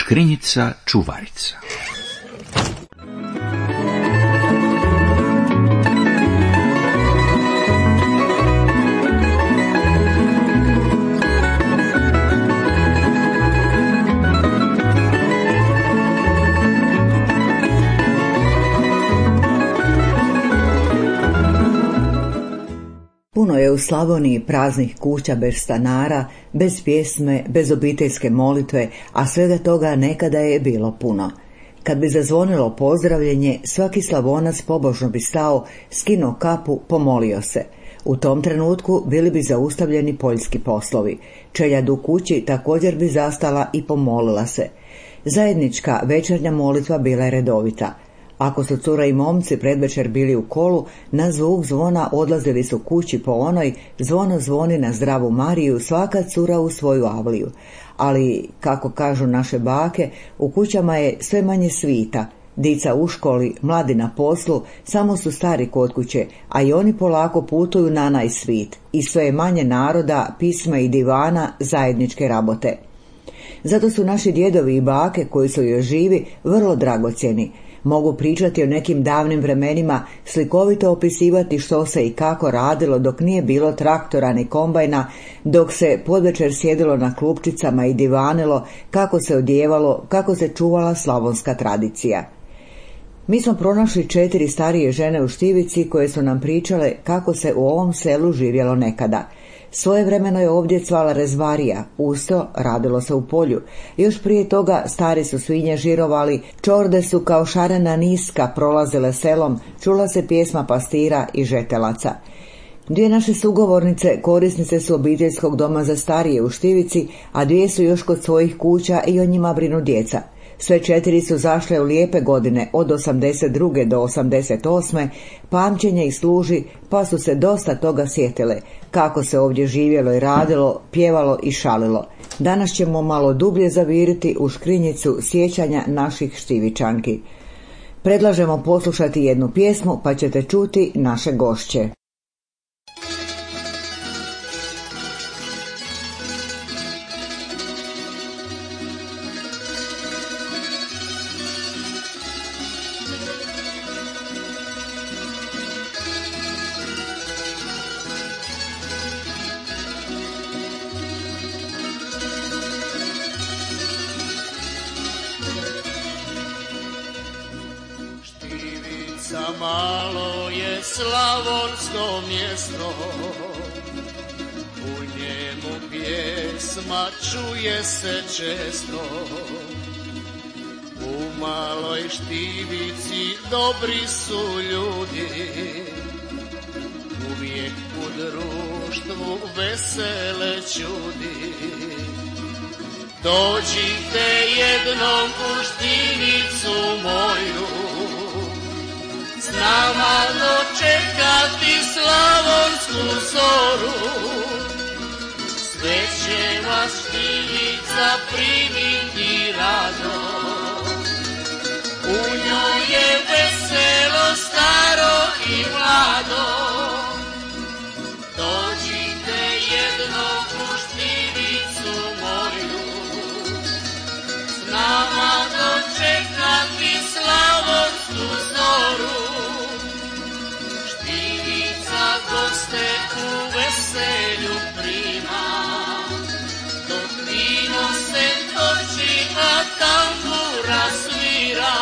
Škrinjica čuvarica. Puno je u Slavoniji praznih kuća bez stanara, bez pjesme, bez obiteljske molitve, a svega toga nekada je bilo puno. Kad bi zazvonilo pozdravljenje, svaki Slavonac pobožno bi stao, skinuo kapu, pomolio se. U tom trenutku bili bi zaustavljeni poljski poslovi. Čeljad u kući također bi zastala i pomolila se. Zajednička večernja molitva bila je redovita. Ako su cura i momci predvečer bili u kolu, na zvuk zvona odlazili su kući po onoj zvono zvoni na zdravu Mariju, svaka cura u svoju avliju. Ali, kako kažu naše bake, u kućama je sve manje svita. Dica u školi, mladi na poslu, samo su stari kod kuće, a i oni polako putuju na najsvit. I sve je manje naroda, pisma i divana, zajedničke rabote. Zato su naši djedovi i bake, koji su još živi, vrlo dragocjeni. Mogu pričati o nekim davnim vremenima, slikovito opisivati što se i kako radilo dok nije bilo traktora ni kombajna, dok se podvečer sjedilo na klupčicama i divanilo, kako se odjevalo, kako se čuvala slavonska tradicija. Mi smo pronašli 4 starije žene u Štivici koje su nam pričale kako se u ovom selu živjelo nekada. Svojevremeno je ovdje cvala rezbarija, usto radilo se u polju. Još prije toga stari su svinje žirovali, čorde su kao šarena niska prolazile selom, čula se pjesma pastira i žetelaca. 2 naše sugovornice korisnice su obiteljskog doma za starije u Štivici, a 2 su još kod svojih kuća i o njima brinu djeca. Sve 4 su zašle u lijepe godine od 82. do 88. Pamćenje ih služi, pa su se dosta toga sjetile, kako se ovdje živjelo i radilo, pjevalo i šalilo. Danas ćemo malo dublje zaviriti u škrinjicu sjećanja naših Štivičanki. Predlažemo poslušati jednu pjesmu, pa ćete čuti naše gošće. Malo je slavonsko mjesto, u njemu pjesma čuje se često. U maloj Štivici dobri su ljudi, uvijek u društvu vesele čudi. Dođite jednom u Štivicu moju, s nama dočekati slavonsku zoru. Sve će vas Štivica primiti rado, u njoj je veselo staro i mlado. Dođite jednom u Štivicu moju, s nama dočekati slavonsku zoru. Goste u veselju prima, dok vino se toči, a tambura svira.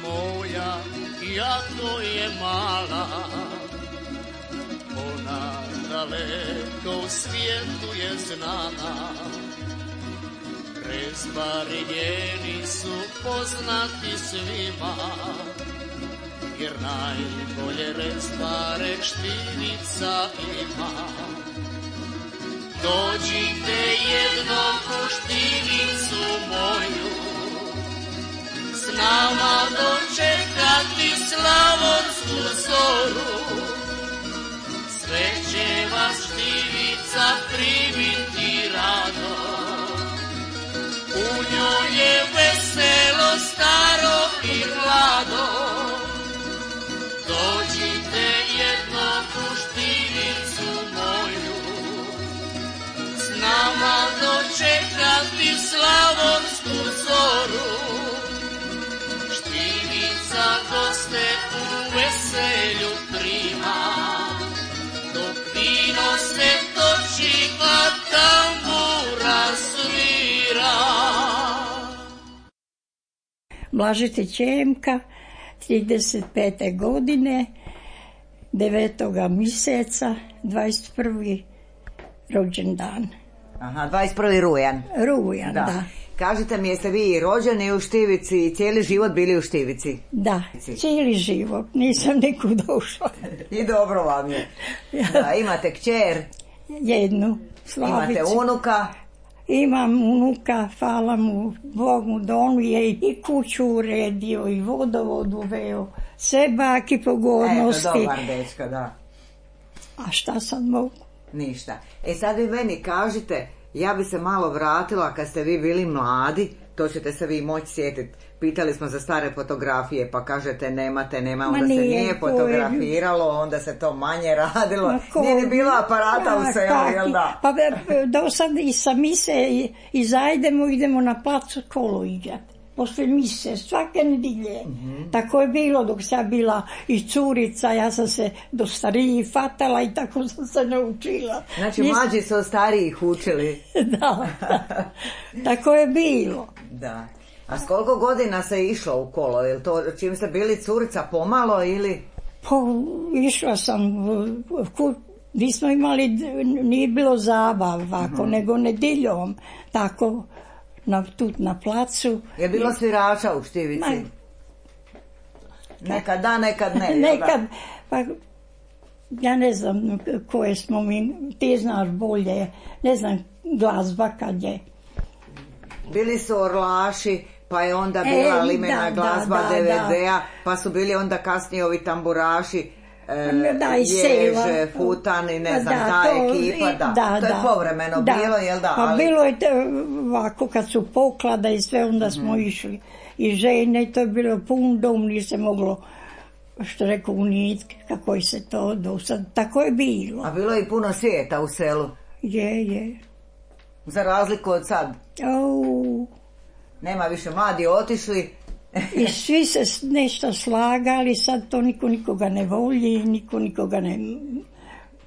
Moja, iako je mala, ona daleko u svijetu je znana. Rezbari njeni su poznati svima, jer najbolje rezbare Štivica ima. Dođite jednom u Štivicu moju, s nama dočekati Štivica primiti rado, u njoj je veselo, staro i mlado. Dođite jednog u Štivicu moju, s nama dočekati slavonsku zoru. Štivica goste u veselju prima, dok vino se toči, a tambura svira. Blažite Čemka, 35. godine, 9. mjeseca, 21. rođendan. Aha, 21. rujan. Rujan, da. Kažite mi, jeste vi rođeni u Štivici i cijeli život bili u Štivici? Da, cijeli život, nisam nikud došla. I dobro vam je. Da, imate kćer? Jednu, Slavicu. Imate unuka? Imam unuka, hvala mu Bogu, da on je i kuću uredio i vodovod uveo, sve baki pogodnosti. Eto, dobar dečko, da. A šta sad mogu? Ništa. Sad vi meni kažite, ja bi se malo vratila kad ste vi bili mladi, to ćete se vi moći sjetiti. Pitali smo za stare fotografije, pa kažete nema, onda se nije fotografiralo, onda se to manje radilo. Nije ni bilo aparata u selu, jel da? Pa do sad i sa mise izajdemo, idemo na placu kolo igrati. Posle mise, svake nedjelje. Tako je bilo dok sam bila i curica, ja sam se do starijih fatala i tako sam se naučila. Znači mlađi su od starijih učili. Da, tako je bilo. Da. A s koliko godina se išlo u kolo? Je li to čim ste bili curica pomalo ili? Išla sam, nismo imali, nije bilo zabava, nego nedjeljom, tako na placu. Je bilo svirača u Štivici? Nekad da, nekad ne. Nekad, pa ja ne znam koje smo mi, ti znaš bolje, ne znam glazba kad je. Bili su orlaši, pa je onda bila limena glazba DVD-a, pa su bili onda kasnije ovi tamburaši, Ježe, Futan i ne znam, ta ekipa, to je povremeno bilo, jel da? Pa bilo je ovako kad su poklada i sve, onda smo išli i žene, to je bilo pun dom, nije se moglo, što rekao, unijeti kako se to dosad, tako je bilo. A bilo je i puno svijeta u selu? Je. Za razliku od sad? Nema više, mladi otišli. I svi se nešto slagali, sad to niko nikoga ne voli, niko nikoga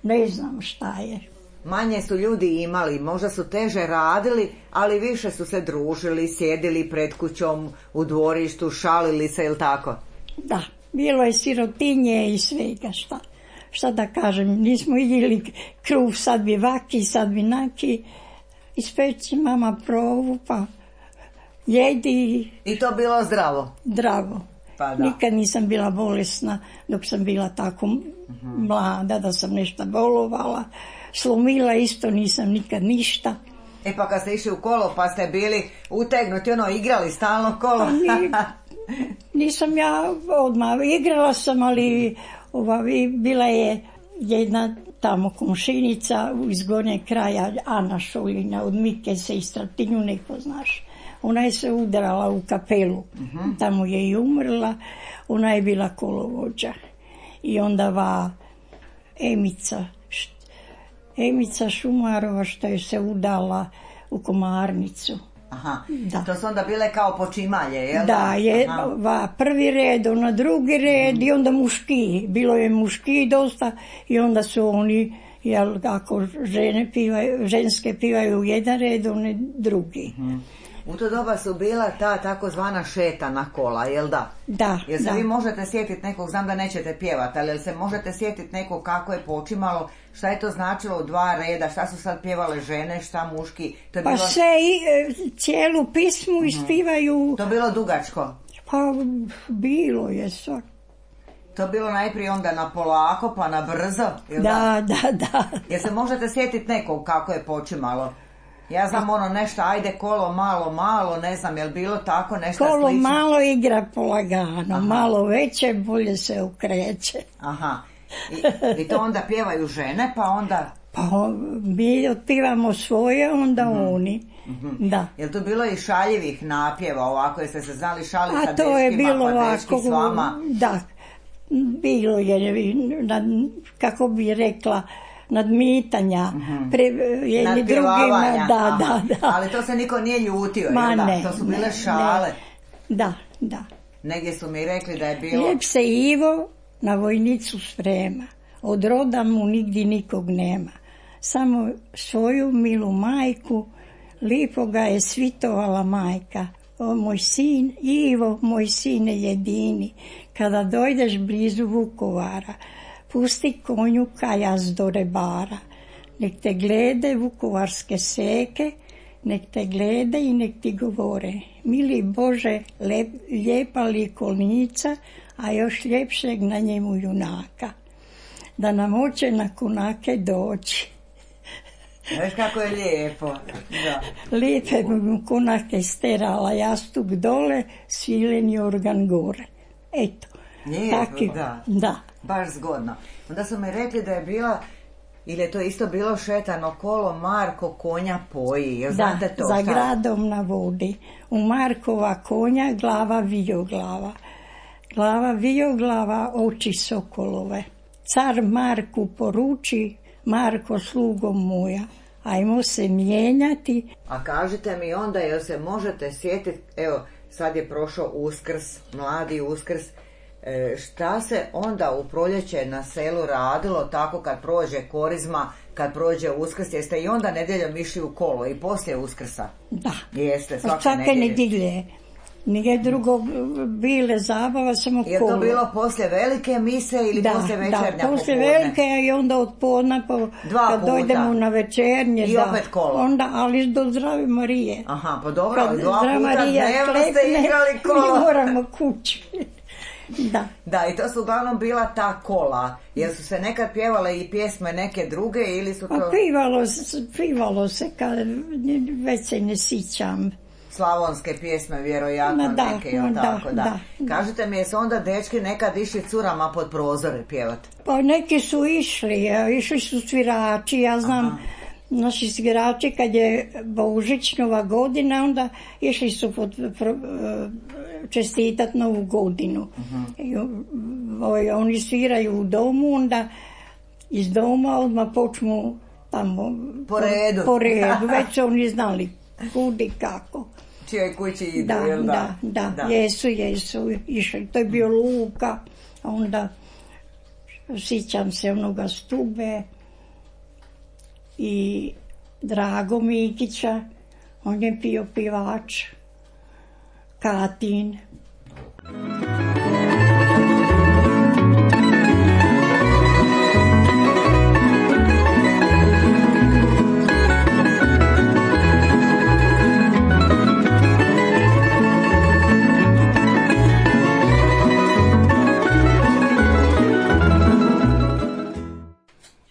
ne znam šta je. Manje su ljudi imali, možda su teže radili, ali više su se družili, sjedili pred kućom, u dvorištu, šalili se, ili tako? Da, bilo je sirotinje i svega, šta da kažem, nismo jeli kruh, sad bi vaki, sad bi naki, ispeći mama provu, pa jedi. I to bilo zdravo? Zdravo. Pa da. Nikad nisam bila bolesna dok sam bila tako mlada da sam nešto bolovala. Slomila isto nisam nikad ništa. Pa kad ste išli u kolo pa ste bili utegnuti, igrali stalno kolo? Nisam ja odmah, igrala sam, ali bila je jedna tamo komšinica iz Gornjeg kraja, Ana Šoljina, od Mike se i Stratinju, neko znaš. Ona je se udarala u kapelu, tamo je i umrla, ona je bila kolovođa. I onda Emica Šumarova što je se udala u Komarnicu. Aha, da. To su onda bile kao počimalje, jel? Da, je prvi red, ona drugi red i onda muški. Bilo je muški dosta i onda su oni, jel, ako ženske pivaju u jedan red, one drugi. U to doba su bila ta takozvana šetana kola, jel da? Da. Jel se vi možete sjetiti nekog, znam da nećete pjevati, ali jel se možete sjetiti nekog kako je počimalo, šta je to značilo u dva reda, šta su sad pjevale žene, šta muški? To je pa bilo... sve cijelu pismu ispivaju. To bilo dugačko? Pa bilo je svak. To je bilo najprije onda na polako, pa na brzo, jel da? Da. Jel se možete sjetiti nekog kako je počimalo? Ja znam nešto, ajde kolo malo, ne znam, jel bilo tako nešto slično? Kolo malo igra polagano, malo veće, bolje se okreće. Aha, i to onda pjevaju žene, pa onda... Pa mi otpivamo svoje, onda oni. Da. Je li to bilo i šaljivih napjeva ovako, jeste se znali šaliti sa A to je dečkima, bilo pa dečki ovako, s vama? da, bilo je, kako bi rekla, nadmitanja, jedni drugima, da. Ali to se niko nije ljutio, Ma jel da? ne, To su bile ne, šale. Da. Negdje su mi rekli da je bilo... Lijep se Ivo na vojnicu sprema, od roda mu nigdje nikog nema. Samo svoju milu majku, lipo ga je svitovala majka. O moj sin, Ivo, moj sine jedini, kada dojdeš blizu Vukovara, pusti konju kajaz do rebara. Nek te glede vukovarske seke, nek te glede i nek ti govore. Mili Bože, lijepa likovnica, a još ljepšeg na njemu junaka. Da nam hoće na kunake doći. Znaš kako je lijepo. Da. Lijepe mu kunake sterala, jastuk dole, svileni organ gore. Eto. Lijepo, Da. Baš zgodno. Onda su mi rekli da je bila, ili je to isto bilo šetano kolo Marko konja poji. Jel znate to? Za gradom na vodi. U Markova konja glava vijoglava. Glava vijoglava, oči sokolove. Car Marku poruči, Marko slugom moja, ajmo se mijenjati. A kažite mi onda, jel se možete sjetiti, evo sad je prošao Uskrs, mladi Uskrs, šta se onda u proljeće na selu radilo tako kad prođe Korizma, kad prođe Uskrs, jeste i onda nedjeljom išli u kolo i poslije Uskrsa? Da. Jeste, svake nedjelje. Nije drugo bile zabava, samo kolo. Je to bilo poslije velike mise ili poslije večernja popodne? Da, poslije velike i onda od podne, kad dojdemo na večernje. I opet kolo? Onda, ali do Zdrave Marije. Aha, pa dobro, ali 2 puta dnevno ste igrali kolo. Mi moramo kući. Da, i to su uglavnom bila ta kola. Jel su se nekad pjevale i pjesme neke druge ili su to... Pivalo se, kad već se ne sjećam. Slavonske pjesme, vjerojatno neke, tako da. Kažite mi, jesu onda dečki nekad išli curama pod prozore pjevati? Pa neki su išli su svirači, ja znam, naši svirači kad je Božićnova godina, onda išli su čestitat Novu godinu. Oni sviraju u domu, onda iz doma odmah počnu tamo po redu, već su oni znali kud i kako. Čijoj kući idu, jel da? Da, jesu, išli. To je bio Luka, onda sjećam se onoga Stube i Drago Mikića, on je bio pivač, Katin.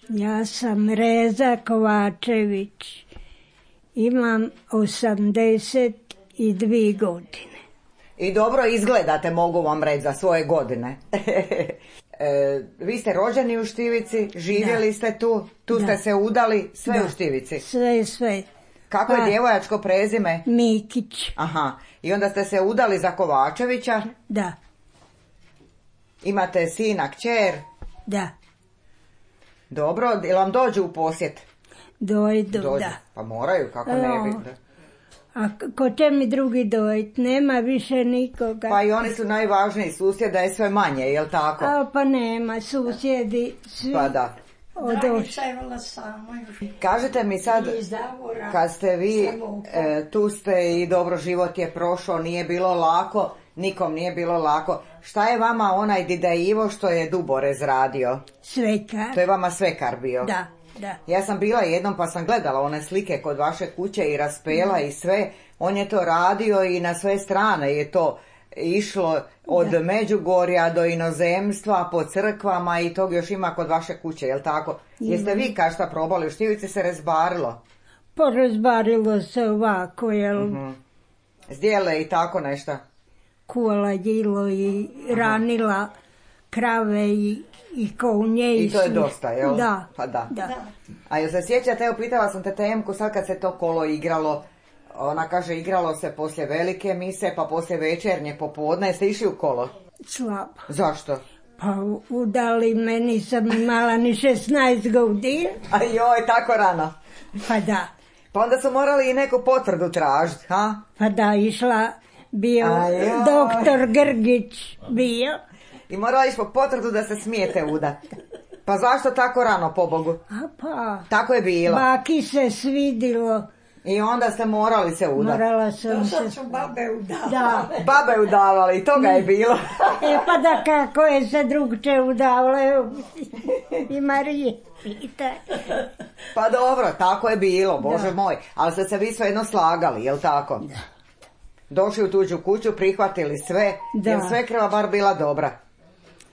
Ja sam Reza Kovačević, imam 82 godine. I dobro izgledate, mogu vam reći, za svoje godine. Vi ste rođeni u Štivici, živjeli ste tu ste se udali, sve u Štivici? Sve. Kako je djevojačko prezime? Mikić. Aha, i onda ste se udali za Kovačevića? Da. Imate sina, kćer? Da. Dobro, jel vam dođu u posjet? Dođu. Da. Pa moraju, kako ne bi. A ko će mi drugi dojiti? Nema više nikoga. Pa i oni su najvažniji, susjeda je sve manje, jel tako? Pa nema, susjedi svi. Pa da. Kažete mi sad, kad ste vi, tu ste i dobro, život je prošao, nije bilo lako, nikom nije bilo lako. Šta je vama onaj Dida Ivo što je Duborez radio? Svekar. To je vama svekar bio? Da. Ja sam bila jednom pa sam gledala one slike kod vaše kuće i raspela i sve. On je to radio i na sve strane je to išlo od Međugorja do inozemstva, po crkvama i tog još ima kod vaše kuće, jel tako? Jeste vi kažta probali, u Štivici se rezbarilo? Pa rezbarilo se ovako, jel? Zdjele i tako nešto? Kuvala jilo i ranila krave i konje. I to je dosta, jel? Da. Pa da. Da. A jel se sjećate, evo pitala sam te Temku, sad kad se to kolo igralo, ona kaže igralo se poslije velike mise, pa poslije večernje popodne, jeste išli u kolo? Slabo. Zašto? Pa udali me, nisam imala ni 16 godina. A joj, tako rano. Pa da. Pa onda su morali i neku potvrdu tražiti, ha? Pa da, išla, bio doktor Grgić bio. I morala ići po potvrdu da se smijete udat. Pa zašto tako rano, pobogu? A pa, Tako je bilo. baki se svidilo. I onda ste morali se udati. Morala sam se... Sad su babe udavale. Da. Babe udavali, i toga je bilo. Pa da kako je se drugče udavale i Marije. Pa dobro, tako je bilo, Bože moj. Ali ste se vi svejedno slagali, jel tako? Da. Došli u tuđu kuću, prihvatili sve, Da. jer svekrva bar bila dobra.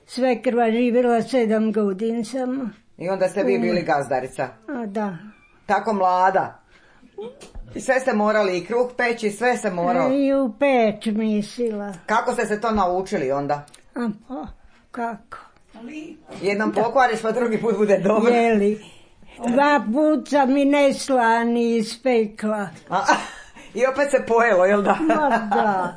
Svekrva živjela 7 godina samo. I onda ste vi bili gazdarica. A da. Tako mlada. I sve ste morali, i kruh peći, sve se moralo. I u peć mislila. Kako ste se to naučili onda? A pa, kako? Jednom pokvariš, pa drugi put bude dobro. Jeli. 2 puta sam i neslani ispekla. I opet se pojelo, jel da? Ma da.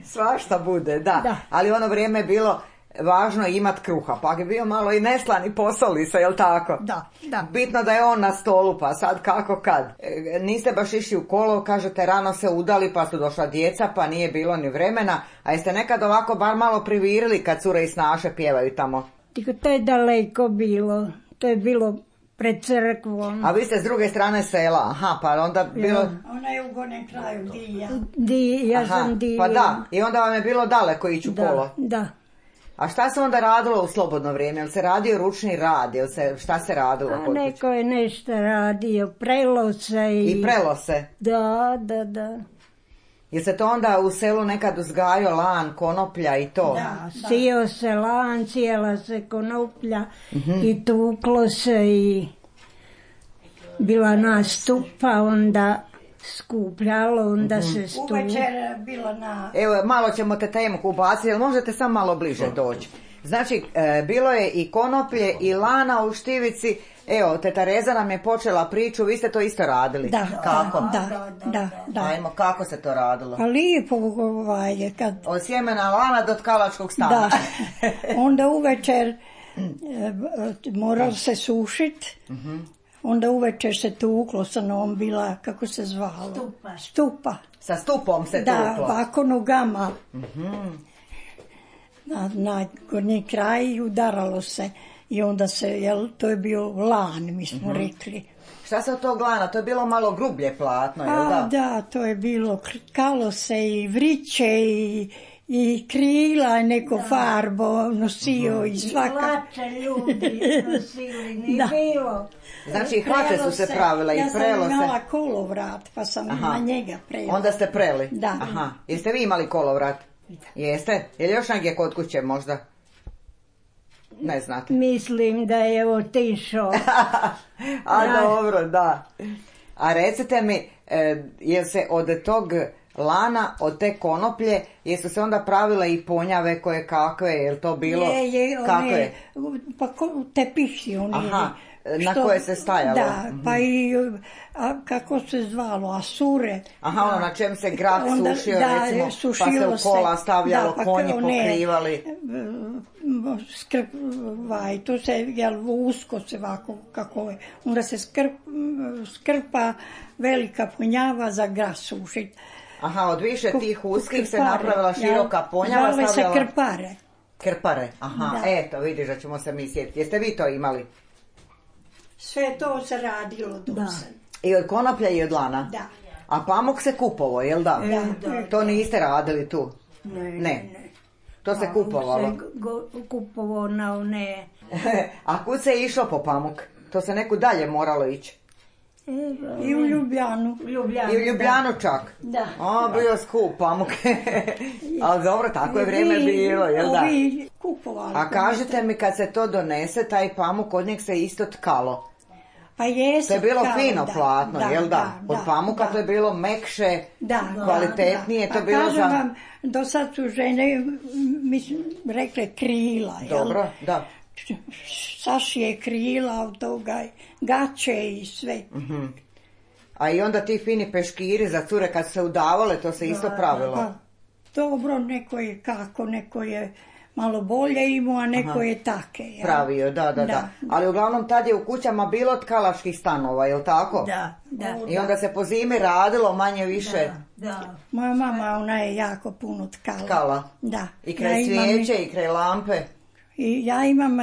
Svašta bude, da. Da. Ali ono vrijeme je bilo važno imat kruha, pa je bio malo i neslani posoli se, jel tako? Da, da. Bitno da je on na stolu, pa sad kako kad. Niste baš išli u kolo, kažete rano se udali, pa su došla djeca, pa nije bilo ni vremena, a jeste nekad ovako bar malo privirili kad cure i snaše pjevaju tamo? To je daleko bilo, to je bilo pred crkvom. A vi ste s druge strane sela, aha, pa onda bilo... Ona je u gornjem kraju, Ja sam Dija. Pa da, i onda vam je bilo daleko ići u kolo. Da. A šta se onda radilo u slobodno vrijeme? Jel se radio ručni rad? Šta se radilo? A neko je nešto radio, prelo se I prelo se? Da. Jel se to onda u selu nekad uzgajao lan, konoplja i to? Da. Sio se lan, sjela se konoplja i tuklo se i bila nastupa, onda skupljalo, onda se stup. Uvečer bila na... Evo, malo ćemo te Temku ubaciti, jel možete samo malo bliže doći? Znači, bilo je i konoplje i lana u Štivici. Evo, teta Reza nam je počela priču, vi ste to isto radili. Da, kako? Da. Ajmo, kako se to radilo? A lijepo, kad... Od sjemena lana do tkalačkog stana. Da, onda uvečer moralo se sušit, onda uvečer se tuklo, sa novom bila, kako se zvalo? Stupa. Sa stupom se tuklo? Da, ovako nogama. Na gornji kraj udaralo se. I onda se, to je bio lan, mi smo rekli. Šta se od tog lana? To je bilo malo grublje platno, jel da? Da, to je bilo, krkalo se i vriće i krila, neko farbo nosio i svaka. Hlače ljudi nosili, nije bilo. Znači, hlače su se pravile i prelo se. Ja sam imala kolovrat, pa sam na njega prela. Onda ste preli? Da. Aha. Jeste vi imali kolovrat? Jeste? Je li još negdje kod kuće možda? Ne znate. Mislim da je otišao. Dobro, da. A recite mi, jel se od tog lana, od te konoplje, jesu se onda pravile i ponjave koje kakve, jel to bilo? Je, pa tepiši oni. Aha, na koje se stajalo. Da, pa i, kako se zvalo, asure. Aha, ono na čem se grad sušio, recimo, pa se u kola stavljalo, konji pokrivali. To se, usko se ovako, kako je. Onda se skrpa velika ponjava za grad sušit. Aha, od više tih uskih se napravila široka ponjava. Zvale se krpare. Krpare, aha, eto, vidiš da ćemo se mi sjetiti. Jeste vi to imali? Sve to se radilo dosad. I od konoplja i od lana? Da. A pamuk se kupovo, jel da? Da. To niste radili tu? Ne. To se kupovalo? Kupovo na one. A kud se je išlo po pamuk? To se neku dalje moralo ići? I u Ljubljanu. I u Ljubljanu čak? Da. Bio skup pamuk. Ali dobro, tako je vrijeme bilo, jel da? Kupovali. A kažete mi, kad se to donese, taj pamuk, od njeg se isto tkalo? Pa jesu. To je bilo kao, fino da, platno, da, jel da? Od pamuka to je bilo mekše, kvalitetnije, to je bilo kažem vam, do sad su žene, mislim, rekle krila, jel? Dobro, da. Sašije krila od toga, gaće i sve. A i onda ti fini peškiri za cure kad su se udavale, to se isto pravilo. Pa, dobro, neko je kako, neko je malo bolje imao, a neko je take. Jel? Pravio, da. Ali uglavnom tad je u kućama bilo tkalačkih stanova, jel tako? Da. I onda se po zimi radilo manje više. Da. Moja mama, ona je jako puno tkala. Tkala? Da. I kraj svijeće i kraj lampe? I ja imam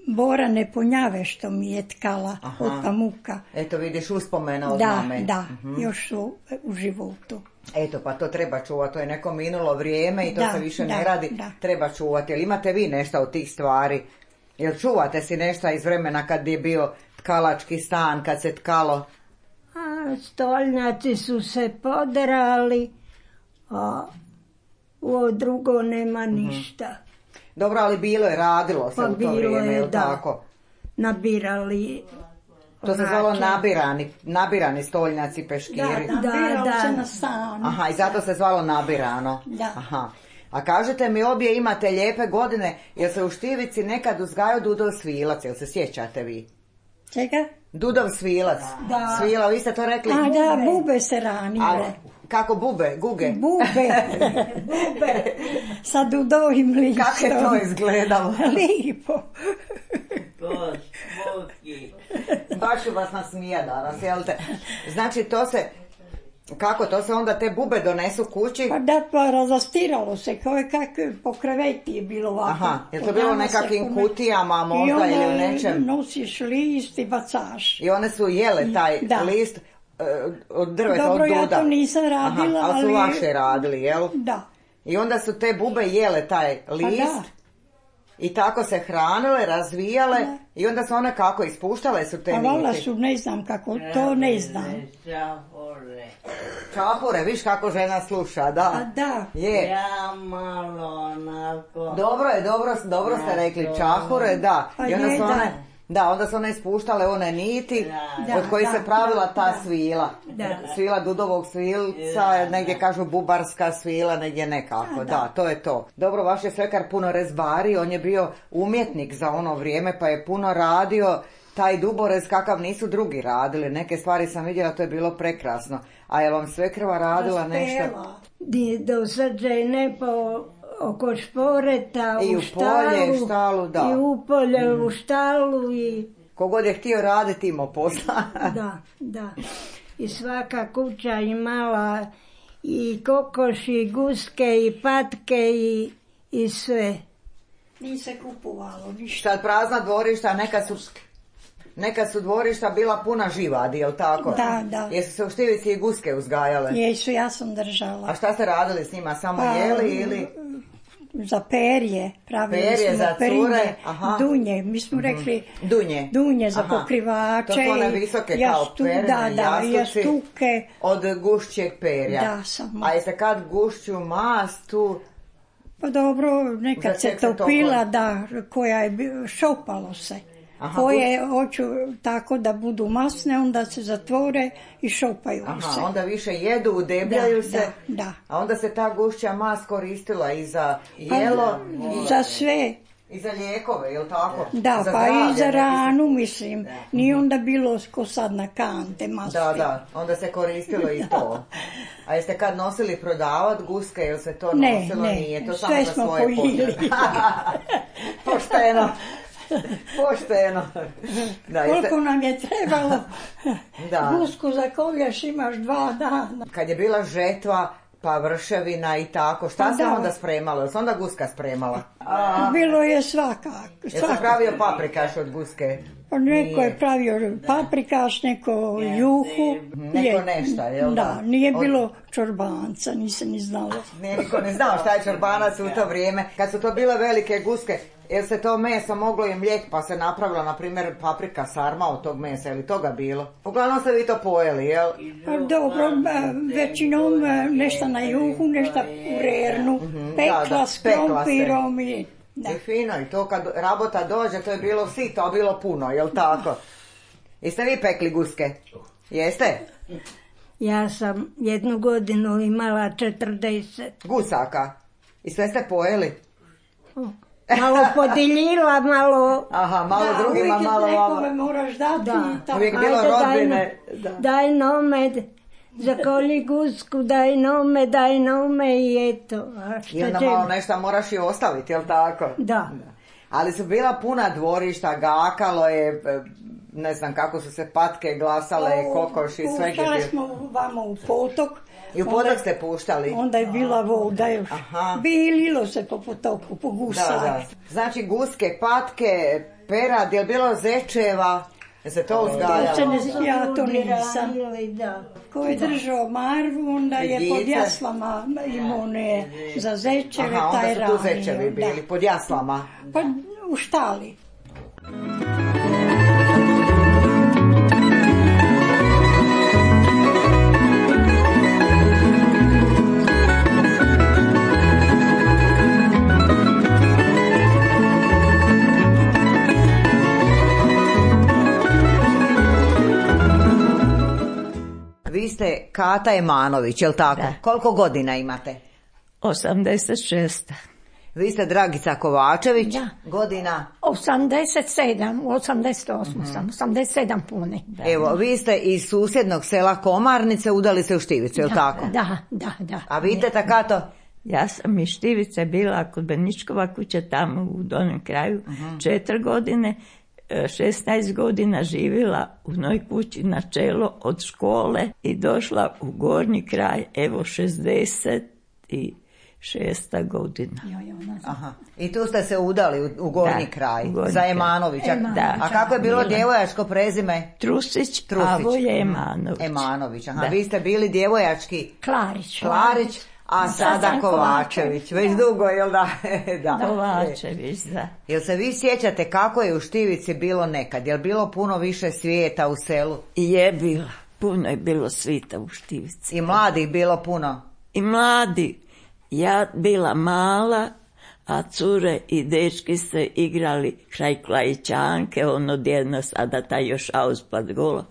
borane punjave što mi je tkala od pamuka. Eto vidiš uspomena od mame. Da, još su u životu. Eto, pa to treba čuvati, to je neko minulo vrijeme i to se više ne radi, treba čuvati. Jel imate vi nešto od tih stvari? Jel čuvate si nešto iz vremena kad je bio tkalački stan, kad se tkalo? A stolnjaci su se poderali, a ovo drugo nema ništa. Dobro, ali bilo je, radilo se Pa u to vrijeme, jel tako? Nabirali. To se zvalo nabirani stolnjaci, peškiri. Nabiralo se na stanu. Aha, i zato se zvalo nabirano. Da. Aha. A kažete mi, obje imate lijepe godine, jel se u Štivici nekad uzgajao Dudov svilac, jel se sjećate vi? Čega? Dudov svilac. Da. Svila, vi ste to rekli? A da, bube se ranile. Kako bube? Guge? Bube. Sa dudovim listom. Kako je to izgledalo? Lipo. Baš ću vas nasmija danas, jel te? Znači, to se... Kako, to se onda te bube donesu kući? Pa da, pa razastiralo se, kao je kako po kreveti je bilo ovako. Aha, je to bilo u nekakvim kutijama možda ili u nečem? I onda nosiš list i bacaš. I one su jele taj list od drveta, od duda? Dobro, ja to nisam radila, ali su vaše radili, jel? Da. I onda su te bube jele taj list i tako se hranile, razvijale i onda su one kako, ispuštale su te niti? A valjda su, ne znam kako, to ne znam. Čahure, viš kako žena sluša, da. A da. Je. Ja malo onako. Dobro ste rekli, čahure, da. I onda su one... Da, onda su one ispuštale one niti od kojih se pravila ta svila. Svila Dudovog svilca, negdje kažu bubarska svila, negdje nekako. Da, to je to. Dobro, vaš je svekar puno rezbari, on je bio umjetnik za ono vrijeme pa je puno radio taj duborez kakav nisu drugi radili. Neke stvari sam vidjela, to je bilo prekrasno. A je vam svekrva radila nešto? Do sad žene oko šporeta, i u polje, štalu, da. I u polje, u štalu i... Kogod je htio raditi imao posla. Da. I svaka kuća imala i kokoši, i guske, i patke, i sve. Nije se kupovalo ništa. Sad prazna dvorišta, neka su dvorišta bila puna živadi, jel tako? Da. Jesu se u Štivici i guske uzgajale? Jesu, ja sam držala. A šta ste radili s njima, samo jeli ili... Za perje, pravili smo za cure, dunje, mi smo rekli dunje za pokrivače, to su one visoke kao perne, jastuke od gušćeg perja. Da, samo. A jeste kad gušću mast tu? Pa dobro, nekad se topila, koja je šopalo se. Koje hoću tako da budu masne, onda se zatvore i šopaju se. Onda više jedu, udebljaju se, da. A onda se ta gušća mast koristila i za jelo, za sve. I za lijekove, jel tako? Da, pa i za ranu, mislim. Nije onda bilo ko sad na kante, maske. Da, onda se koristilo i to. A jeste kad nosili prodavat guske, jel se to nosilo? Nije, to samo za svoje potrebe. Pošteno. Koliko nam je trebalo gusku za kolješ imaš 2 dana. Kad je bila žetva, pa vrševina i tako, šta se onda spremalo? Jel se onda guska spremala? Bilo je svakako. Jel se pravio paprikaš od guske? Neko je pravio paprikaš, neko juhu. Neko nešto, jel da? Da, nije bilo čorbanca, nisam ni znala. Niko ne znao šta je čorbanac u to vrijeme. Kad su to bile velike guske, jer se to meso moglo i mlijek, pa se napravila, na primjer, paprika sarma od tog mesa, ili toga bilo? Uglavnom ste vi to pojeli, jel? Dobro, većinom nešto na juhu, nešto u rernu, pekla s krompirom i... I fino, i to kad rabota dođe, to je bilo sito, a bilo puno, jel tako? Jeste vi pekli guske? Jeste? Ja sam 1 godinu imala 40. Gusaka. I sve ste pojeli? Malo podijelila, malo... Aha, malo drugima, malo vama. Nekome moraš dati. Uvijek bilo rodbine. Daj nome, zakoli gusku, daj nome i eto. I onda malo nešto moraš i ostaviti, jel tako? Da. Ali su bila puna dvorišta, gakalo je, ne znam kako su se patke glasale, kokoši, sve. Puštali smo vamo u potok. I u potok ste puštali? Onda je bila voda još. Bililo se po potoku, po gusari. Da. Znači guske, patke, perad, je li bilo zečeva? Je se to uzgajalo? Ja to nisam. Ko je držao marvu, onda je pod jaslama imao one za zečeve, taj ranio. Onda su tu zečevi bili, pod jaslama? Pa u štali. Vi ste Kata Emanović, je li tako? Da. Koliko godina imate? 86. Vi ste Dragica Kovačević, Da. godina? 87, 88 sam, 87 pune. Evo, vi ste iz susjednog sela Komarnice, udali se u Štivicu, je li tako? Da. A vi teta Kato? Ja sam iz Štivice bila kod Beničkova kuća tamo u donjem kraju 4 godine. 16 godina živjela u noj kući na čelo od škole i došla u gornji kraj, evo 66. godina. Aha. I tu ste se udali u gornji kraj, za Emanovića. Da. A kako je bilo djevojačko prezime? Trusić. A Voje Emanović. Emanović, aha. Da. Vi ste bili djevojački? Klarić. A sada Kovačević. Već dugo, jel da? Da. Kovačević, da. Jel se vi sjećate kako je u Štivici bilo nekad? Jel bilo puno više svijeta u selu? I je bilo. Puno je bilo svita u Štivici. I mladih bilo puno? I mladi. Ja bila mala, a cure i dečki se igrali kraj Klajićanke, ono djedno sada taj još auspad golo.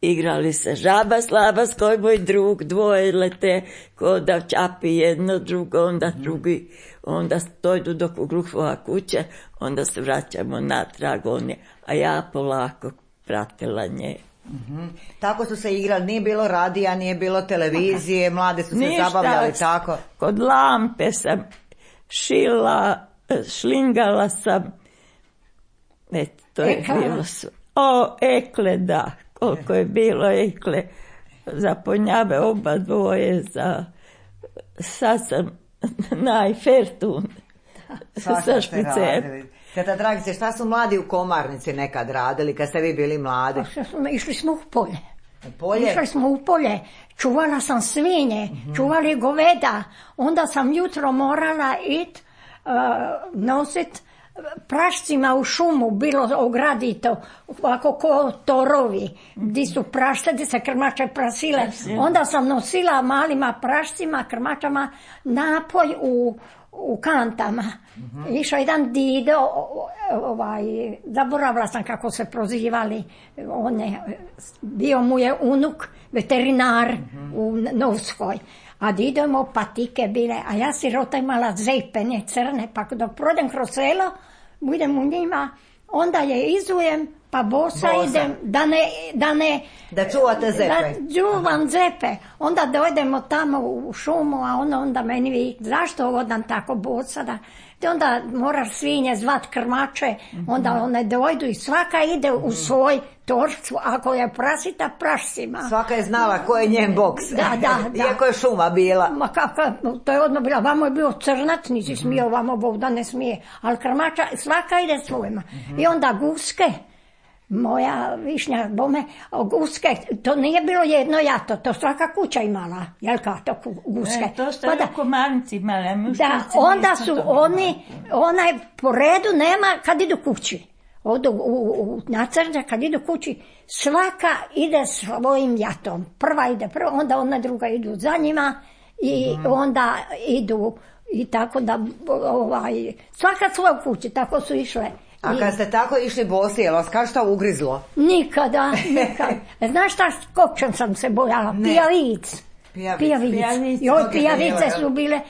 Igrali se žaba slaba, skoj moj drug, dvoje lete, ko da čapi jedno drugo, onda drugi, onda dojdu do Kugluhova kuće, onda se vraćamo natrag, a ja polako pratila nje. Tako su se igrali, nije bilo radija, nije bilo televizije, mlade su se zabavljali tako. Kod lampe sam šila, šlingala sam, eto, to je bilo sve. Ekle, da, koliko je bilo ekle, za ponjave oba dvoje, sad sam najfertun sa špicem. Teta Dragice, šta su mladi u Komarnici nekad radili kad ste vi bili mladi? Išli smo u polje. Polje? Išli smo u polje, čuvala sam svinje, čuvali goveda, onda sam jutro morala nosit prašcima u šumu, bilo ogradito, ovako ko torovi, gdje su prašce, gdje se krmače prasile. Onda sam nosila malima prašcima, krmačama, napoj u kantama. Išao jedan dido, zaboravila sam kako se prozivali, bio mu je unuk, veterinar u Novskoj. A dido imao patike bile, a ja sirota imala zepene crne, pa dok prođem kroz selo, budem u njima, onda je izujem, pa bosa idem, da čuvate zepe. Da čuvam zepe. Onda dojdemo tamo u šumu, a onda meni vi, zašto odam tako bosa? Onda moraš svinje zvat krmače, onda one dojdu i svaka ide u svoj torcu, ako je prasita, prašcima. Svaka je znala ko je njen boks. Da. Iako je šuma bila. Ma to je odmah bila, vamo je bio crnac, nisi smio, vamo Bog da ne smije, ali krmača, svaka ide svojima. I onda guske, moja višnja bome, guske, to nije bilo jedno jato, to svaka kuća imala, jel to guske. To ste u Komarnici imali, da, onda su onaj po redu nema kad idu kući. Odu u nacrđa, kad idu kući, svaka ide svojim jatom. Prva ide prva, onda ona druga idu za njima i onda idu i tako da svaka svoju kući, tako su išle. A kad ste tako išli bosi, je li vas kao šta ugrizlo? Nikada. Znaš šta, kokčem sam se bojala? Pijavic. Pijavice su bile,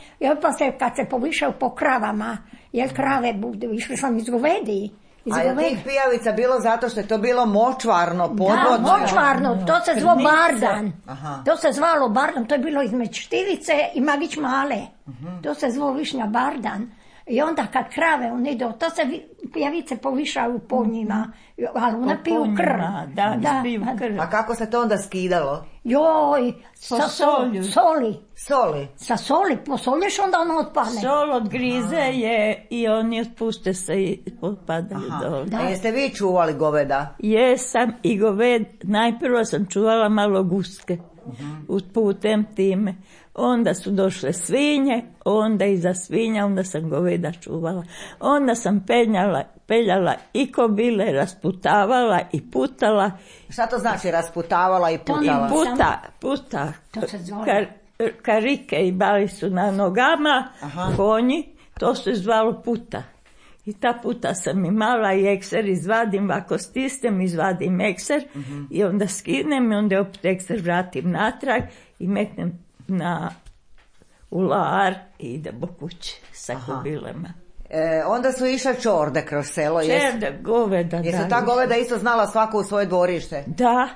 pa se kad se povišao po kravama, jer krave budu, išli sam iz govedi. A je tih pijavica bilo zato što je to bilo močvarno, podvodno? Da, močvarno, to se zvalo bardan. To se zvalo bardan, to je bilo između Štivice i Magić Male. To se zvalo višnja bardan. I onda kad krave on idu, to se pijavice povišaju po njima, ali one piju krv. Da, piju krv. A kako se to onda skidalo? Joj, sa soli. Soli? Sa soli, posolješ onda ono otpadne. Sol odgrize je i oni otpušte se i otpadaju dole. A jeste vi čuvali goveda? Jesam i goved, najprvo sam čuvala malo guske. Putem time. Onda su došle svinje, onda iza svinja, onda sam goveda čuvala. Onda sam peljala i kobile, rasputavala i putala. Šta to znači rasputavala i putala? Puta. Karike i bali su na nogama, konji, to se zvalo puta. I ta puta sam imala i ekser izvadim, ako stisnem izvadim ekser i onda skinem i onda opet ekser vratim natrag i metnem u lar i idem po kući sa kobilema. Onda su išle čorde kroz selo. Čerde, goveda. Jesu ta goveda isto znala svako u svoje dvorište? Da.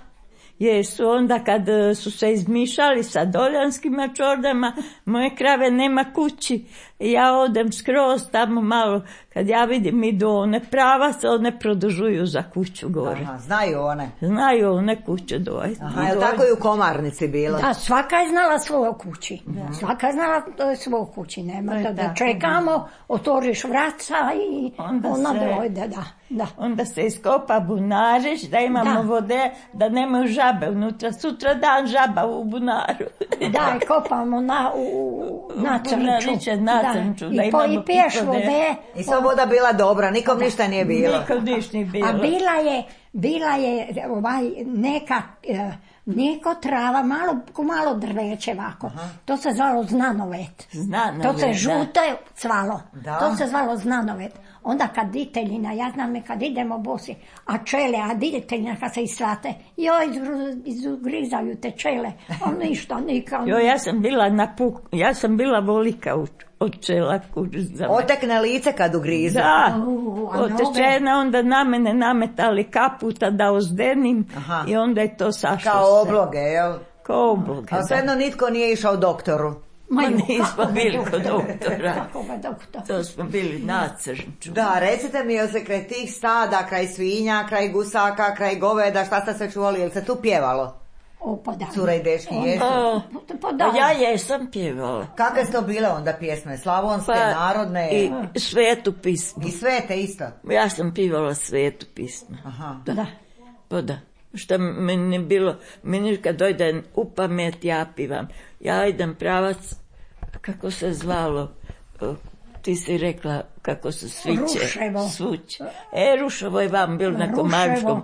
Jesu, onda kad su se izmišali sa doljanskima čordama, moje krave nema kući. Ja odem skroz tamo malo, kad ja vidim idu one pravac, one produžuju za kuću gore. Znaju one? Znaju one kuće dojeti. Je li tako i u Komarnici bilo? Da, svaka je znala svoju kući. Svaka je znala svoju kući. Nema da čekamo, otvoriš vraca i ona dojde, da. Onda se iskopa bunarić, da imamo vode, da nemaju žabe unutra. Sutra dan žaba u bunaru. Da, i kopamo u Nacrnču. I piješ vode. I sva voda bila dobra, nikom ništa nije bilo. Nikom ništa nije bilo. A bila je neka mlijeko trava, malo drveće ovako. To se zvalo znanovet. To se žute cvalo. To se zvalo znanovet. Onda kad diteljina, ja znam kad idemo bosi, a čele, a diteljina kad se islate, izugrizaju te čele, a ništa, nikam. Ja sam bila volika od čela. Otekne lice kad ugrizu. Da, otečena, onda na mene nametali kaputa da ozdenim i onda je to sašlo. Kao obloge, jel? Kao obloge, a svejedno nitko nije išao doktoru. Nismo bili kod doktora. To smo bili na Crnču. Da, recite mi, jel se kraj tih stada, kraj svinja, kraj gusaka, kraj goveda, šta ste se čuvali, jel se tu pjevalo? Pa da. Cura i dečki jesu? Ja jesam pjevala. Kakve su to bile onda pjesme? Slavonske, narodne? I svetu pismu. I svete isto? Ja sam pjevala svetu pismu. Da. Pa da. Šta meni bilo, meni kad dojdem u pamet ja pivam. Ja idem pravac, kako se zvalo, ti si rekla kako se sviće. Ruševo. Ruševo je vam bilo na Komarničkom,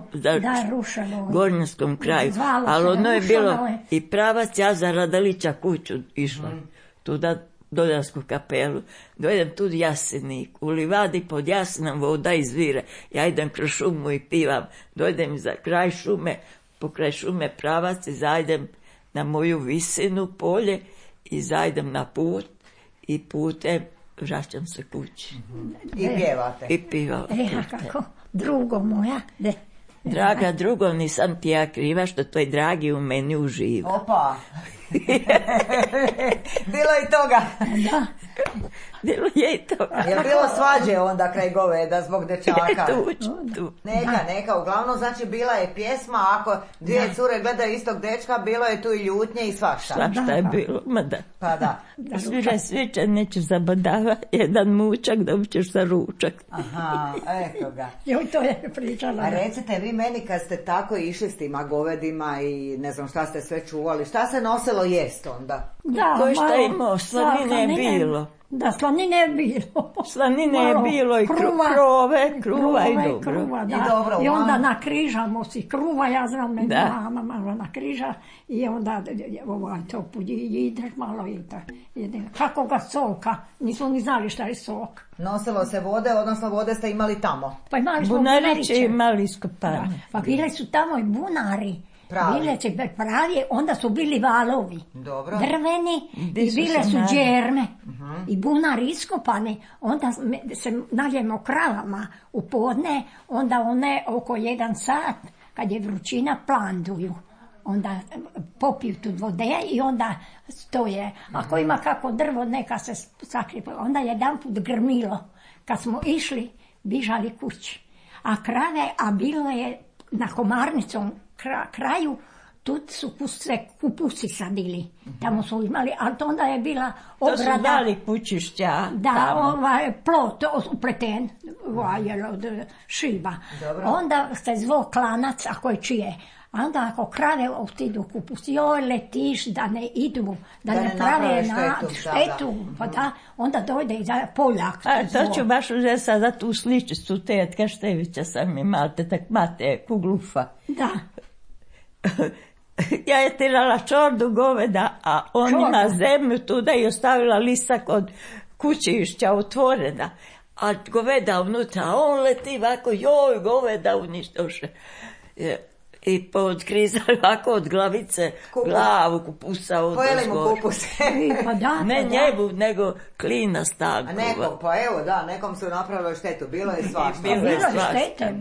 Gornjanskom kraju. Ali ono je bilo i pravac, ja za Radalića kuću išla. Tuda Doljansku kapelu. Dojdem tu Jasenik, u livadi pod Jasenom voda izvire. Ja idem kroz šumu i pivam. Dojdem za kraj šume, pokraj šume pravac i zajdem na moju visinu polje i zajdem na put i putem vraćam se kući. I pjevate? I pivam. Kako? Drugo moja? Draga drugo, nisam ti ja kriva što tvoj dragi u meni uživa. Opa! Bilo i toga. Da. Bilo je i toga. Je bilo svađe onda kraj goveda zbog dečaka? Tu. Neka, uglavnom znači bila je pjesma, ako dvije cure gledaju istog dečka, bilo je tu i ljutnje i svašta. Svašta je bilo, ma da. Pa da. Sviđa sviđa, nećeš zabadava, jedan mučak, dobit ćeš za ručak. Aha, eto ga. Joj, to je pričala. A recite vi meni kad ste tako išli s tima govedima i ne znam šta ste sve čuvali, šta se nosilo voljelo jest onda? Da, Ko je šta malo imao, slanine je bilo. Da, slanine je bilo. Slanine je Malo bilo i kruva i dobro. Kruva, da. I dobro, I onda nakrižamo si kruva, ja znam, Da. mama malo nakriža i onda to ideš malo i tako. Kako ga soka, nismo ni znali šta je sok. Nosilo se vode, odnosno vode ste imali tamo. Pa imali smo Bunariće bunariće. imali iskopanje. Pa bili su tamo i bunari. Pravi. Bile su pravi, onda su bili valovi. Dobro. Drveni Gdje i su bile se su nali? džerme. I bunari iskopani. Onda se naljemo kravama u podne, onda one oko 1 sat, kad je vrućina, planduju. Onda popiju tu vode i onda stoje. Ako ima kako drvo, neka se sakrije. Onda jedanput grmilo. Kad smo išli, bižali kući. A krave, a bilo je na Komarnicom kraju, tu su se kupusi sadili. Tamo su imali, ali to onda je bila To su ograda. dali kućišća. Da, plot upleten od šiba. Dobro. Onda se zvao klanac, ako je čije. A onda ako krave otidu kupus, joj letiš da ne idu, da ne prave štetu, pa da, onda dojde i za Poljak. A to ću baš uzeti sada tu sličicu tetka Števića sam imala, tak mate Kuglufa. Da. Ja je tirala čordu goveda, a on ima zemlju tuda i ostavila lisak od kućišća otvorena. A goveda unutra, a on leti ovako, joj, goveda uništoše. I podkrizali ovako od glavice, glavu kupusa od Pojeli mu kupus. Pa da, ne njegu, nego klina stanku. A nekom, pa evo da, nekom su napravili štetu, bilo je svašta. Bilo je štete.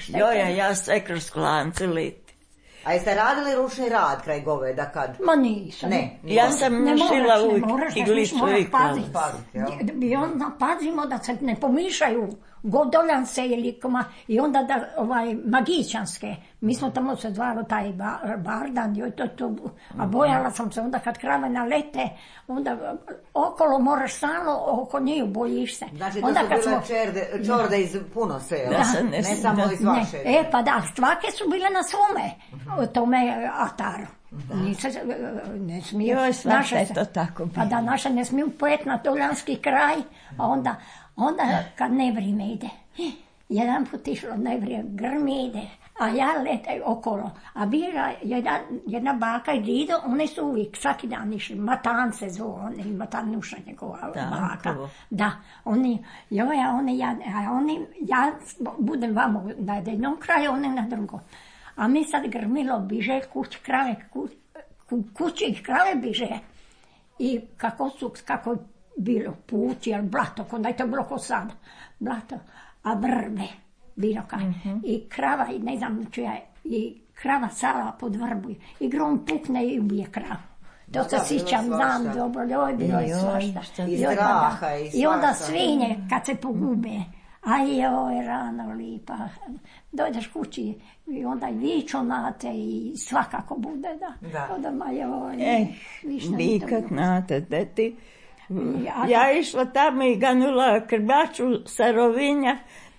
Joj, ja sve kroz klance leti. A jeste radili ručni rad kraj goveda kad? Ma nisam. Ne. Ja sam šila uvijek iglicu i Paziti, I onda pazimo da se ne pomišaju godoljanse ili i onda da magićanske. Mi smo tamo se zvalo taj bardan, a bojala sam se onda kad krave nalete, onda okolo moraš stalno, oko njih bojiš se. Znači to su bile čorde iz puno sela, ne samo iz vaše. Pa da, svake su bile na svome, tome ataru. Ne smiju, naše je to tako. Pa da, naše ne smiju pojet na Doljanski kraj, a onda kad nevrijeme ide, jedan put išlo nevrijeme, grmi ide, a ja letaj okolo. A bila jedna baka i dido, one su uvijek, svaki dan išli, Matan se zove, Matanuša njegova baka. Da, ja budem vamo na jednom kraju, one na drugom. A mi sad grmilo biže, kući krave biže. I kako je bilo pući, ali blato, onda je to bilo ko sad, blato, a vrbe, bilo kaj. I krava, i ne znam čija je, i krava sala pod vrbu, i grom pukne i ubije kravu. To se sjećam, znam dobro, bilo je svašta. I straha, i svašta. I onda svinje, kad se pogube, joj, rano lipa, dođeš kući i onda i viču na te i svakako bude, da. Onda ma joj, vikat na te, deti. Ja išla tamo i ganula krbaču sa Rovinja.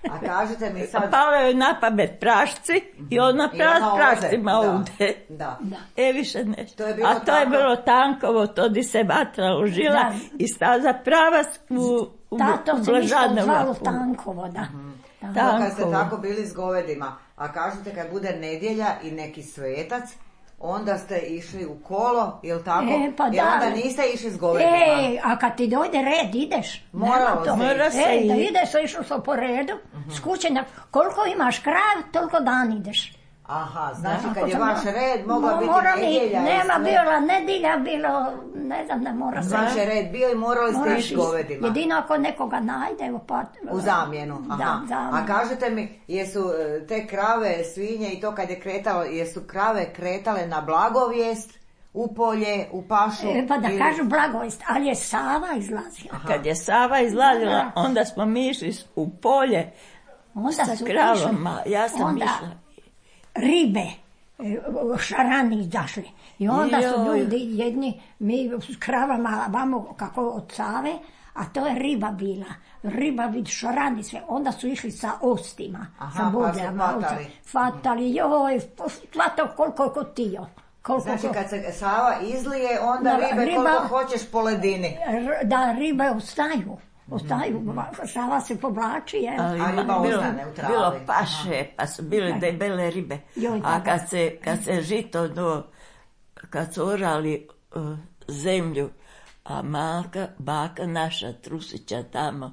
A kažete mi sad... Pala joj na pamet prašci i ona prašcima ude. Da. Više nešto. A to je bilo tankovo, to di se vatra užila i staza prava u to se ništa zvalo tankovo, da. Kad ste tako bili s govedima, a kažete kad bude nedjelja i neki svetac, onda ste išli u kolo, jel tako? I onda niste išli s govedima. A kad ti dojde red, ideš. Mora se da ideš, išlo se po redu, s kuće, koliko imaš krav, toliko dan ideš. Aha, znači kad je vaš red, mogla biti nedjelja. Nema, bila nedjelja, bilo, ne znam da mora se. Vaš je red bio i morali ste ići govedima. Jedino ako nekoga najde. U zamjenu, aha. A kažete mi, jesu te krave, svinje i to kad je kretalo, jesu krave kretale na blagovijest, u polje, u pašu? Pa da kažu blagovijest, ali je Sava izlazila. Kad je Sava izlazila, onda smo mi išli u polje sa kravama. Ja sam išla. Ribe, šarani izašli. I onda su ljudi jedni, mi s kravama vamo kako od Save, a to je riba bila. Riba vid šarani sve. Onda su išli sa ostima, sa budljama. Fatali, joj, hvatao koliko je kotio. Znači kad se Sava izlije, onda ribe koliko hoćeš po ledini. Da, ribe ostaju. Sava se povlači, a riba ostane u travi. Bilo paše, pa su bile debele ribe. A kad se žito kad su orali zemlju, a baka naša Trusića tamo,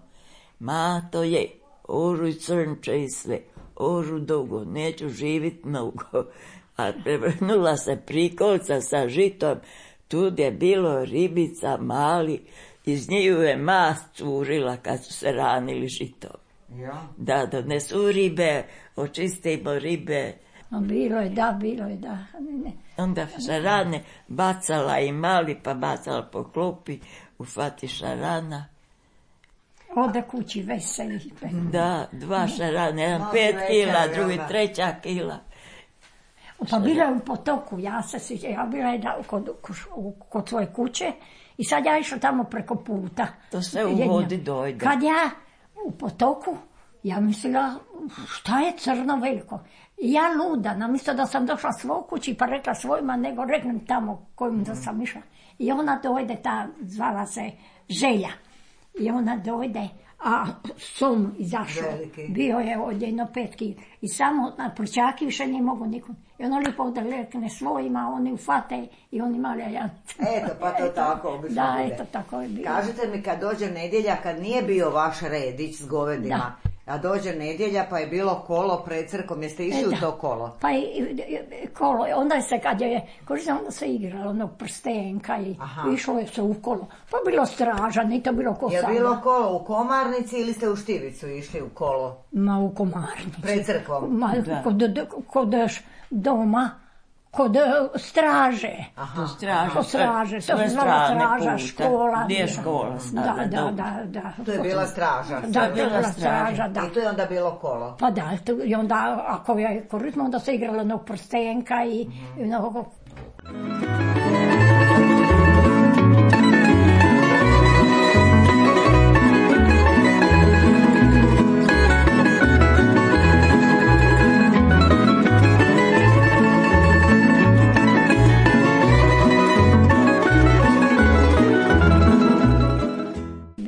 to je oruj crnče i sve, oru dugo, neću živit mnogo. A prevrnula se prikolca sa žitom, tu je bilo ribica mali, iz njiju je mast curila kad su se ranili žitom. Ja. Da donesu ribe, očistimo ribe. Bilo je, da. Onda šarane bacala i mali, pa bacala po klopi, ufati šarana. Ode kući veseli. Da, 2 šarane, jedan 5 kila, drugi 3 kila. Pa bila je u potoku, ja bila je kod svoje kuće i sad ja išla tamo preko puta. To sve u vodi dojde. Kad ja u potoku, ja mislila, šta je crno veliko? I ja luda, namjesto da sam došla svoj kući pa rekla svojima, nego reknem tamo kojim da sam išla. I ona dojde, zvala se Želja. I ona dojde, a som izašao. Bio je od 1,5 kg. I samo na prčaki više nije mogo nikom. I ono lijepo odrekne svojima, oni ufate i oni mali jance. Eto, pa to tako obično da, bude. Eto, tako je bilo. Kažete mi, kad dođe nedjelja, kad nije bio vaš redić s govedima, a dođe nedjelja pa je bilo kolo pred crkom, jeste išli u to kolo? Pa kolo, onda se kad je, onda se igralo onog prstenka i išlo je se u kolo. Pa bilo straža, nije to bilo ko sada. Je bilo kolo u Komarnici ili ste u Štivicu išli u kolo? Ma u Komarnici. Pred crkvom? Ma kod doma. Kod straže. Kod straže. To se zvala straža, škola. Gdje je škola? Da. To je bila straža. Da, to je bila straža, da. I to je onda bilo kolo. Pa da, i onda, ako je korisno, onda se igralo onog prstenka i mnogo.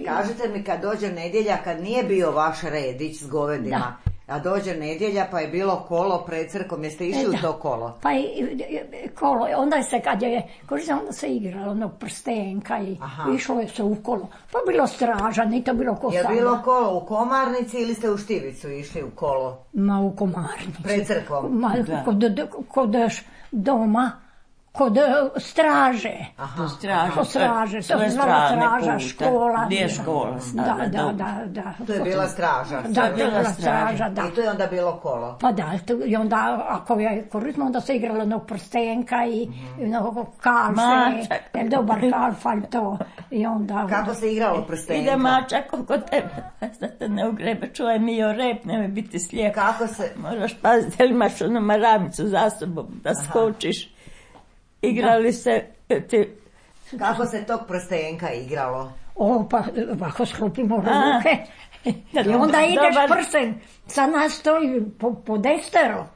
Kažete mi, kad dođe nedjelja, kad nije bio vaš redić s govedima, a dođe nedjelja pa je bilo kolo pred crkom, jeste išli u to kolo? Pa kolo, onda se kad je korisno, onda se igralo onog prstenka i išlo je se u kolo. Pa bilo straža, nije to bilo ko sada. Je bilo kolo u Komarnici ili ste u Štivicu išli u kolo? Ma u Komarnici. Pred crkvom? Ma kod doma. Kod straže. Kod straže. To se zvala straža, škola. Gdje je škola? Da. To je bila straža. Da, to je bila straža, da. I to je onda bilo kolo. Pa da, i onda, ako je korisno, onda se igralo onog prstenka i mnogo kalfe. Dobar kalfalj to. I onda... Kako se igralo prstenka? Ide mačak oko tebe. Da te ne ugrebe, čuvaj mi o rep, nemoj biti slijep. Kako se... Moraš paziti, jel imaš onu maramicu za sobom, da skočiš. Igrali se ti... Kako se tog prstenka igralo? Pa ovako sklopimo ruke. I onda ideš prsten, sad nas stoji po destero.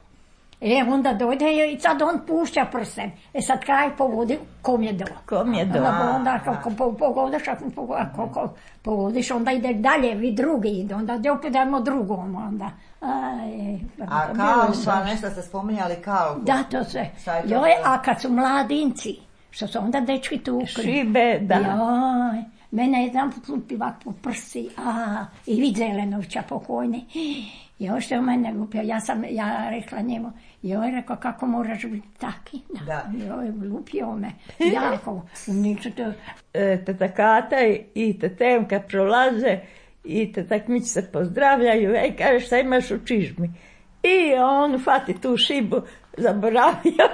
Onda dojde i sad on pušća prsten. Sad kaj povodi, kom je do. Onda ako povodiš, onda ide dalje, vi drugi ide. Onda opet dajemo drugom. Onda. A kalfa, nešto ste spominjali kalfu. Da, to se. A kad su mladinci, što su onda dečki tukli. Šibe, da. Mene je jedan put lupivak po prsi, i vid Zelenovića pokojni. Još je u mene lupio, ja rekla njemu, joj rekao kako moraš biti taki. Joj, lupio me, jako. Teta Kata i tetemka prolaze i tetak Mić se pozdravljaju, kaže šta imaš u čižmi. I on fati tu šibu, zaboravio,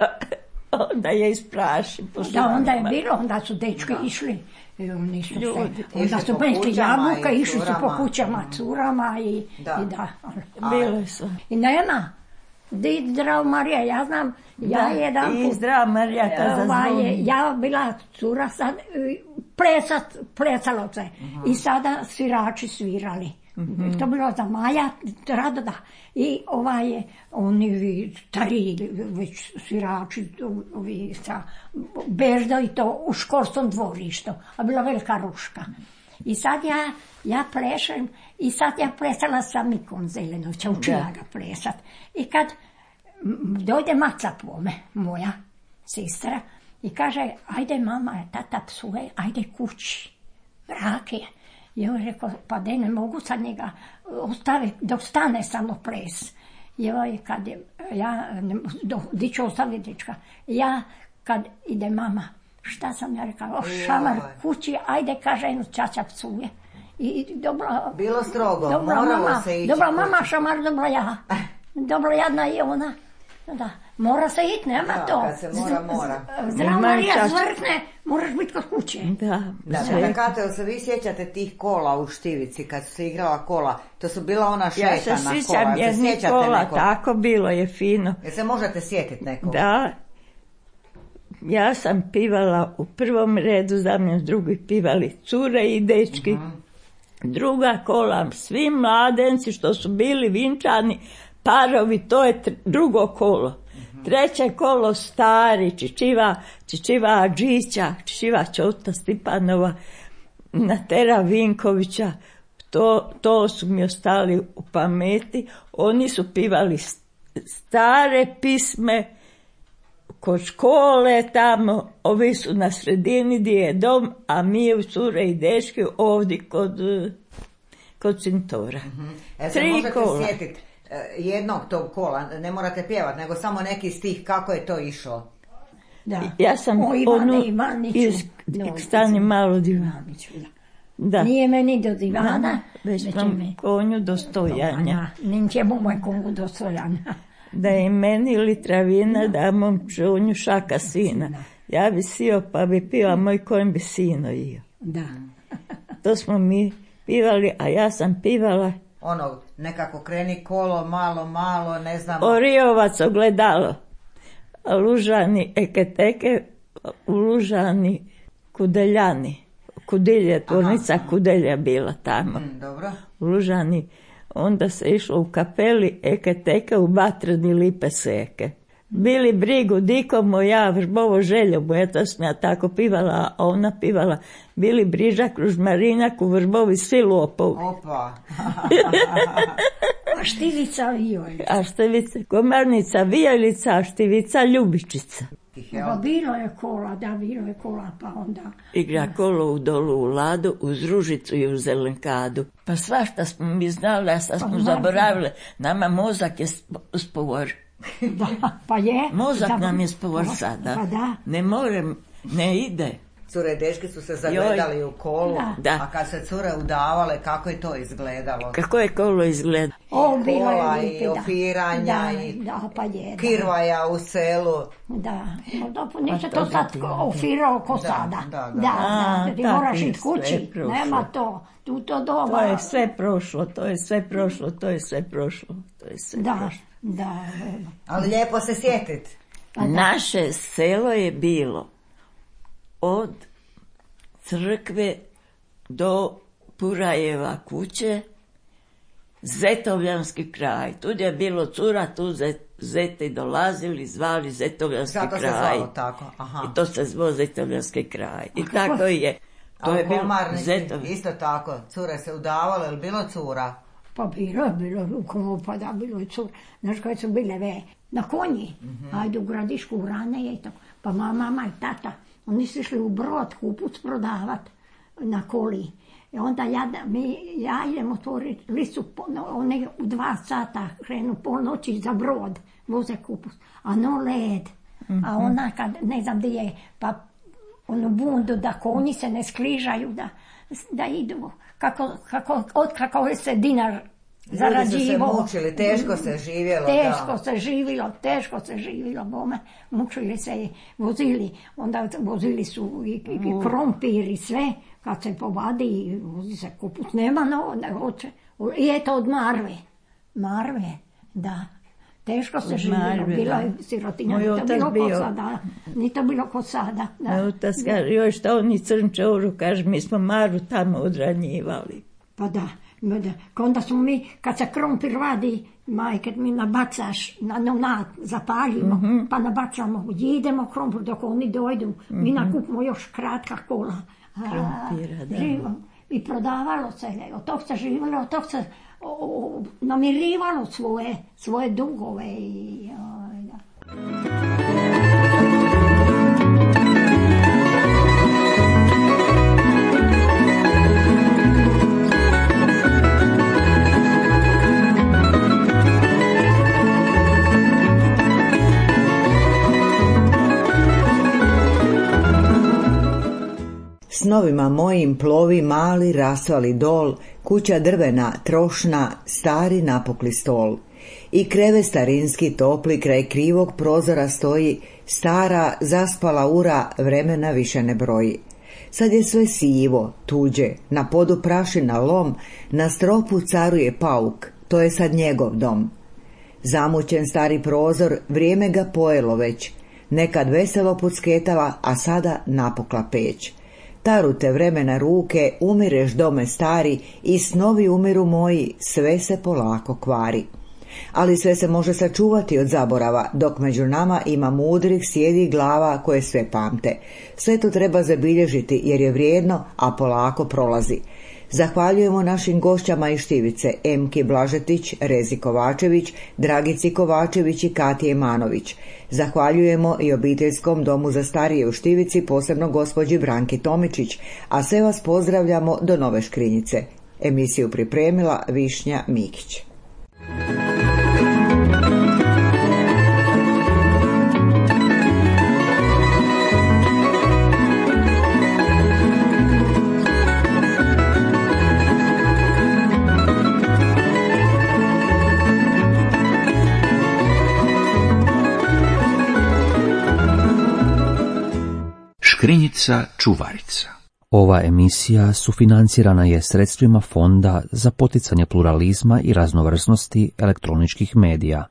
onda je ispraši. Da, onda je bilo, onda su dečki išli. Onda su pešli jabuka, išli su po kućama, curama i da. Bili su. I nema. Zdravo Marija, ja znam, I zdravo Marija, kad zazvoni. Ja bila cura sad, plesalo se. I sada svirači svirali. To bilo za Maja, rado da. I oni stari već svirači, ovi sa Bežda i to u školskom dvorištu, a bila velika ruška. I sad ja plešem, i sad ja plesala sa Mikom Zelenovića, učila ga plesat. I kad dojde maca pome, moja sestra, i kaže, ajde mama, tata psuje, ajde kući, mrak je. I on je rekao, pa ne mogu sad njega ostaviti, dok stane samo ples. I kad di ću ostaviti dečka, kad ide mama, šta sam ja rekao, šamar kući, ajde, kaže, jednu čača psuje. Bilo strogo, moralo se ići. Dobra mama, šamar, dobra ja. Dobro jadna je ona. Da, mora se ići, nema to. Kad se mora. Zdravo Marija zvrkne, moraš biti kod kuće. Da. Kate, se vi sjećate tih kola u Štivici, kad su se igrala kola? To su bila ona šetana kola. Ja se sjećam jednih kola, tako bilo je fino. Jel se možete sjetiti nekog? Da. Ja sam pivala u prvom redu, za mnom drugi pivali cure i dečki. Druga kola, svi mladenci što su bili vinčani, parovi, to je drugo kolo. Treće kolo stari, Čičiva Adžića, Čičiva Čota Stipanova, Natera Vinkovića, to su mi ostali u pameti. Oni su pivali stare pisme kod škole tamo, ovi su na sredini gdje je dom, a mi u cure i dečki ovdje kod Cintora. Se možete sjetiti jednog tog kola, ne morate pjevati, nego samo neki stih, kako je to išlo? Da. Ja sam stani malo Ivaniću. Da. Nije meni do divana, već vam konju do stojanja. Nije moj konju do stojanja. Da je meni litravina, da mom čunju šaka sina. Ja bi sio, pa bi pila, moj konj bi sino io. Da. To smo mi pivali, a ja sam pivala nekako kreni kolo, malo, ne znam. Oriovac ogledalo. Lužani eketeke, u Lužani Kudeljani. Kudilje, tvornica Kudelja bila tamo. Dobro. U Lužani. Onda se išlo u kapeli eketeke u Batrani lipe seke. Bili brigu diko moja, vrbovo željo moja, to sam ja tako pivala, a ona pivala, bili brižak, ružmarinjak, u vrbovi svi lopovi. Opa! A Štivica Vijolica. A Štivica, Komarnica Vijolica, a Štivica Ljubičica. Pa bilo je kola, pa onda... Igra kolo u dolu u Ladu, uz Ružicu i u Zelenkadu. Pa svašta smo mi znali, a sad smo zaboravili. Nama mozak je spovor. Da, pa je. Mozak nam je spovor sada. Pa da. Ne morem, ne ide. Cure i dečki su se zagledali u kolu, da. A kad se cure udavale, kako je to izgledalo? Kako je kolo izgledalo? Kola i opiranja i kirvaja u selu. Da, neće to sad ofirao ko sada. Da, ti moraš ići kući, nema to. To je sve prošlo. Da. Ali lijepo se sjetiti. Naše selo je bilo od crkve do Purajeva kuće, Zetovljanski kraj. Tu je bilo cura, tu zete dolazili, zvali Zetovljanski kraj. Zato se zvalo tako. Aha. I to se zvao Zetovljanski kraj. I tako je. To je bilo Zetovljanski. Isto tako, cure se udavale, ili bilo cura? Pa bilo rukovo, pa da, bilo je cura. Znaš koje su bile na konji, ajde u Gradišku, u Rane i tako. Pa mama i tata, oni su išli u Brod kupuc prodavat na koli. I onda ja idem otvoriti listu, one u 2 sata krenu polnoći za Brod, voze kupuc, a no led. A ona kad, ne znam gdje je, pa onu bundu da konji se ne skrižaju, da idu, kako se dinar zarađivo. Ljudi su se mučili, teško se živjelo. Teško se živjelo, bome. Mučili se, vozili, onda vozili su i krompir i sve, kad se povadi, vozi se kupuc, nema ne hoće. I eto od Marve, da. Teško se živjelo, bilo je sirotinja, ni to bilo ko sada. Moj otac kaže, joj šta oni crnče oru, kaže, mi smo Maru tamo odranjivali. Pa da, Onda smo mi, kad se krompir vadi, majke, mi nabacaš, zapaljimo, pa nabacamo, idemo krompir dok oni dojdu. Mi nakupimo još kratka kola. Živo. I prodavalo se, od tog se živjelo, od tog se namirivalo svoje dugove. Snovima mojim plovi mali rasvali dol, kuća drvena, trošna, stari napukli stol. I kreve starinski topli kraj krivog prozora stoji, stara zaspala ura, vremena više ne broji. Sad je sve sivo, tuđe, na podu prašina lom, na stropu caruje pauk, to je sad njegov dom. Zamućen stari prozor, vrijeme ga pojelo već, nekad veselo pucketala, a sada napukla peć. Tarute vremena ruke, umireš dome stari, i snovi umiru moji, sve se polako kvari. Ali sve se može sačuvati od zaborava, dok među nama ima mudrih sjedi glava koje sve pamte. Sve to treba zabilježiti jer je vrijedno, a polako prolazi. Zahvaljujemo našim gošćama iz Štivice, Emki Blažetić, Rezi Kovačević, Dragici Kovačević i Katije Manović. Zahvaljujemo i obiteljskom domu za starije u Štivici, posebno gospođi Branki Tomičić, a sve vas pozdravljamo do Nove Škrinjice. Emisiju pripremila Višnja Mikić. Škrinjica čuvarica. Ova emisija sufinancirana je sredstvima Fonda za poticanje pluralizma i raznovrsnosti elektroničkih medija.